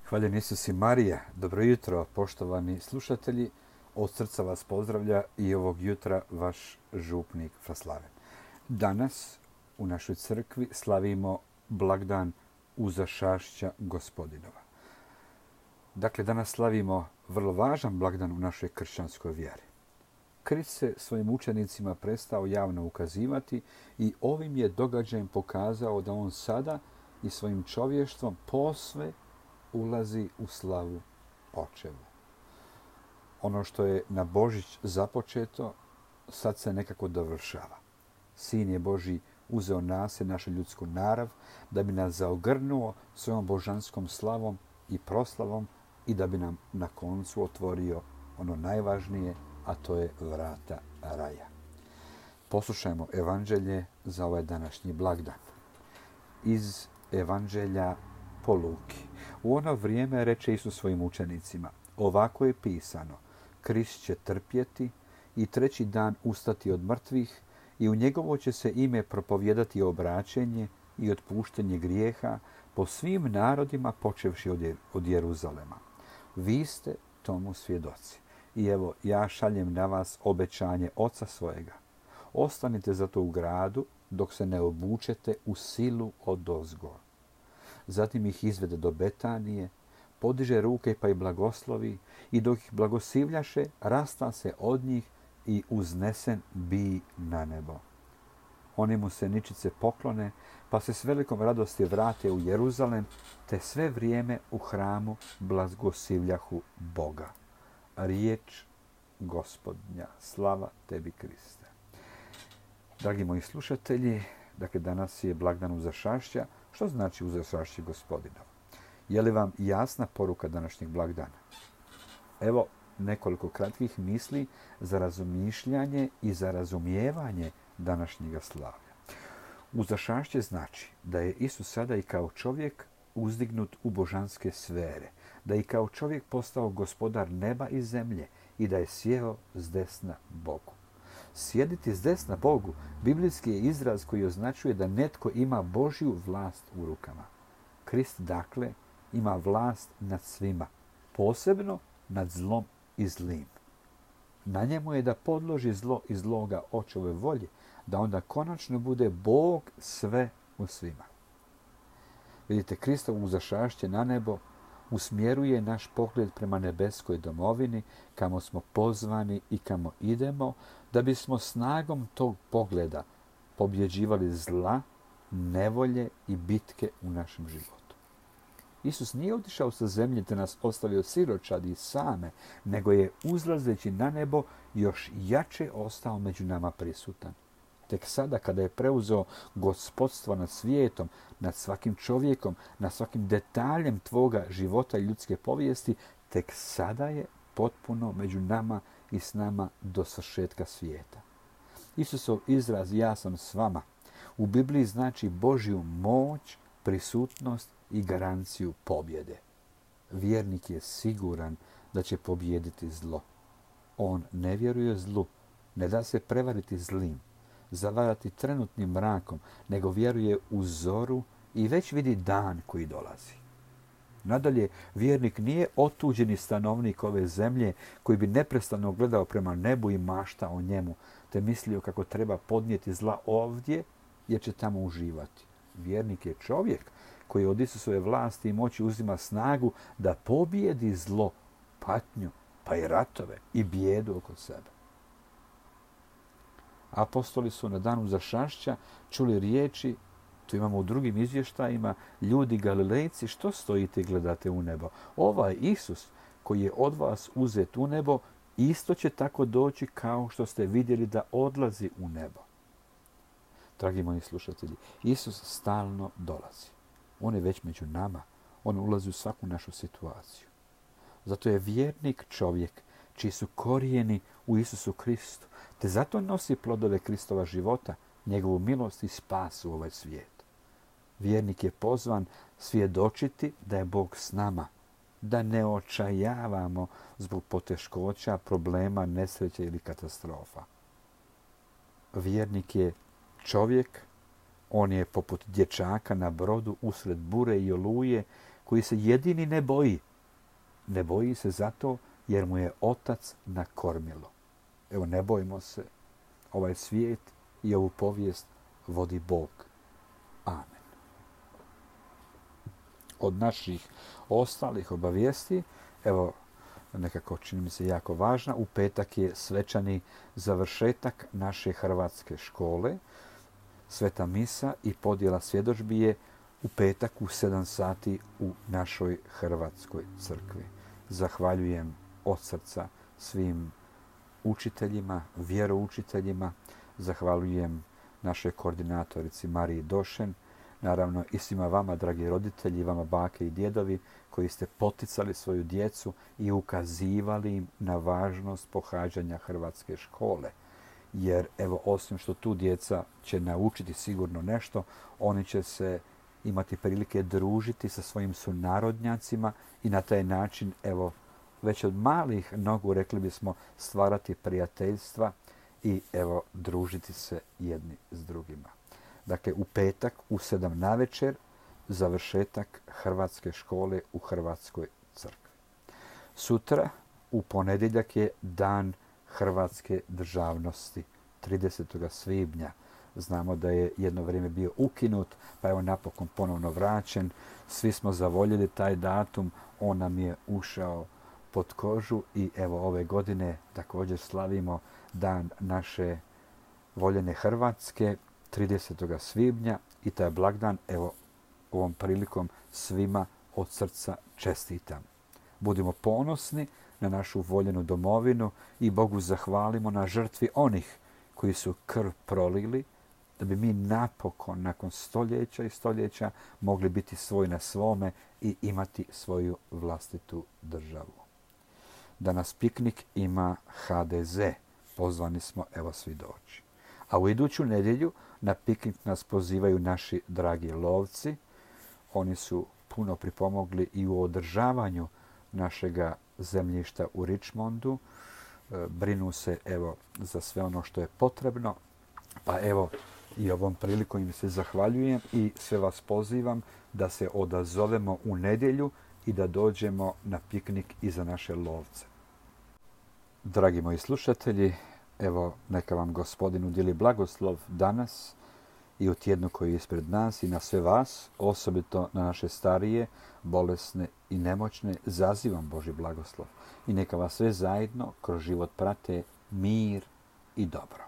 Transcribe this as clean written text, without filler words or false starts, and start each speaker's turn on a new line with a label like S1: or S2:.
S1: Hvaljen Isus i Marija. Dobro jutro, poštovani slušatelji. Od srca vas pozdravlja i ovog jutra vaš župnik Fraslaven. Danas u našoj crkvi slavimo blagdan Uzašašća Gospodinova. Dakle, danas slavimo vrlo važan blagdan u našoj kršćanskoj vjeri. Krist se svojim učenicima prestao javno ukazivati i ovim je događajem pokazao da on sada i svojim čovještvom posve ulazi u slavu očeva. Ono što je na Božić započeto, sad se nekako dovršava. Sin je Božji uzeo nas, našu ljudsku narav, da bi nas zaogrnuo svojom božanskom slavom i proslavom i da bi nam na koncu otvorio ono najvažnije, a to je vrata raja. Poslušajmo evanđelje za ovaj današnji blagdan. Iz evanđelja po Luki. U ono vrijeme reče Isus svojim učenicima: ovako je pisano, Krist će trpjeti i treći dan ustati od mrtvih i u njegovo će se ime propovijedati obraćenje i otpuštenje grijeha po svim narodima počevši od Jeruzalema. Vi ste tomu svjedoci. I evo, ja šaljem na vas obećanje Oca svojega. Ostanite zato u gradu dok se ne obučete u silu odozgo. Zatim ih izvede do Betanije, podiže ruke pa ih blagoslovi i dok ih blagoslivljaše, rasta se od njih i uznesen bi na nebo. Oni mu se ničice poklone, pa se s velikom radosti vrate u Jeruzalem, te sve vrijeme u hramu blagoslivljahu Boga. Riječ Gospodnja. Slava tebi, Kriste. Dragi moji slušatelji, dakle danas je blagdan Uzašašća. Što znači Uzašašće Gospodinov? Je li vam jasna poruka današnjeg blagdana? Evo nekoliko kratkih misli za razmišljanje i za razumijevanje današnjega slavlja. Uzašašće znači da je Isus sada i kao čovjek uzdignut u božanske sfere, da je i kao čovjek postao gospodar neba i zemlje i da je sjeo s desna Bogu. Sjediti s desna Bogu biblijski je izraz koji označuje da netko ima Božju vlast u rukama. Krist, dakle, ima vlast nad svima, posebno nad zlom i zlim. Na njemu je da podloži zlo i zloga očeve volje, da onda konačno bude Bog sve u svima. Vidite, Kristovo uzašašće na nebo usmjeruje naš pogled prema nebeskoj domovini, kamo smo pozvani i kamo idemo, da bismo snagom tog pogleda pobjeđivali zla, nevolje i bitke u našem životu. Isus nije otišao sa zemlje te nas ostavio siročadi same, nego je uzlazeći na nebo još jače ostao među nama prisutan. Tek sada kada je preuzeo gospodstvo nad svijetom, nad svakim čovjekom, nad svakim detaljem tvoga života i ljudske povijesti, tek sada je potpuno među nama i s nama do svršetka svijeta. Isusov izraz ja sam s vama u Bibliji znači Božju moć, prisutnost i garanciju pobjede. Vjernik je siguran da će pobijediti zlo. On ne vjeruje zlu, ne da se prevariti zlim, zavarati trenutnim mrakom, nego vjeruje u zoru i već vidi dan koji dolazi. Nadalje, vjernik nije otuđeni stanovnik ove zemlje koji bi neprestano gledao prema nebu i maštao o njemu, te mislio kako treba podnijeti zla ovdje jer će tamo uživati. Vjernik je čovjek koji od Isusove vlasti i moći uzima snagu da pobijedi zlo, patnju, pa i ratove i bijedu oko sebe. Apostoli su na danu Uzašašća čuli riječi, to imamo u drugim izvještajima, ljudi Galilejci, što stojite i gledate u nebo? Ovaj Isus koji je od vas uzet u nebo, isto će tako doći kao što ste vidjeli da odlazi u nebo. Dragi moji slušatelji, Isus stalno dolazi. On je već među nama. On ulazi u svaku našu situaciju. Zato je vjernik čovjek čiji su korijeni u Isusu Kristu, te zato nosi plodove Kristova života, njegovu milost i spas u ovaj svijet. Vjernik je pozvan svjedočiti da je Bog s nama, da ne očajavamo zbog poteškoća, problema, nesreće ili katastrofa. Vjernik je čovjek, on je poput dječaka na brodu usred bure i oluje koji se jedini ne boji. Ne boji se zato jer mu je otac na kormilo. Evo, ne bojimo se. Ovaj svijet i ovu povijest vodi Bog. Amen. Od naših ostalih obavijesti, evo, nekako čini mi se jako važna, u petak je svečani završetak naše hrvatske škole. Sveta misa i podjela svjedodžbi je u petak u 7 sati u našoj hrvatskoj crkvi. Zahvaljujem od srca svim učiteljima, vjeroučiteljima, zahvaljujem našoj koordinatorici Mariji Došen, naravno i svima vama, dragi roditelji, vama bake i djedovi, koji ste poticali svoju djecu i ukazivali im na važnost pohađanja hrvatske škole. Jer, evo, osim što tu djeca će naučiti sigurno nešto, oni će se imati prilike družiti sa svojim sunarodnjacima i na taj način, evo, već od malih nogu, rekli bismo, stvarati prijateljstva i, evo, družiti se jedni s drugima. Dakle, u petak u 7 navečer završetak hrvatske škole u Hrvatskoj crkvi. Sutra, u ponedjeljak, je dan hrvatske državnosti, 30. svibnja. Znamo da je jedno vrijeme bio ukinut, pa evo napokon ponovno vraćen. Svi smo zavoljeli taj datum, on nam je ušao pod kožu i evo ove godine također slavimo dan naše voljene Hrvatske, 30. svibnja, i taj blagdan, evo, ovom prilikom svima od srca čestitam. Budimo ponosni na našu voljenu domovinu i Bogu zahvalimo na žrtvi onih koji su krv prolili, da bi mi napokon, nakon stoljeća i stoljeća, mogli biti svoj na svome i imati svoju vlastitu državu. Danas piknik ima HDZ. Pozvani smo, evo, svi doći. A u iduću nedjelju na piknik nas pozivaju naši dragi lovci. Oni su puno pripomogli i u održavanju našega zemljišta u Richmondu. Brinu se, evo, za sve ono što je potrebno. Pa evo, i ovom prilikom im se zahvaljujem i sve vas pozivam da se odazovemo u nedjelju i da dođemo na piknik i za naše lovce. Dragi moji slušatelji, evo, neka vam Gospodin udjeli blagoslov danas i u tjednu koji je ispred nas i na sve vas, osobito na naše starije, bolesne i nemoćne, zazivam Božji blagoslov. I neka vas sve zajedno kroz život prate mir i dobro.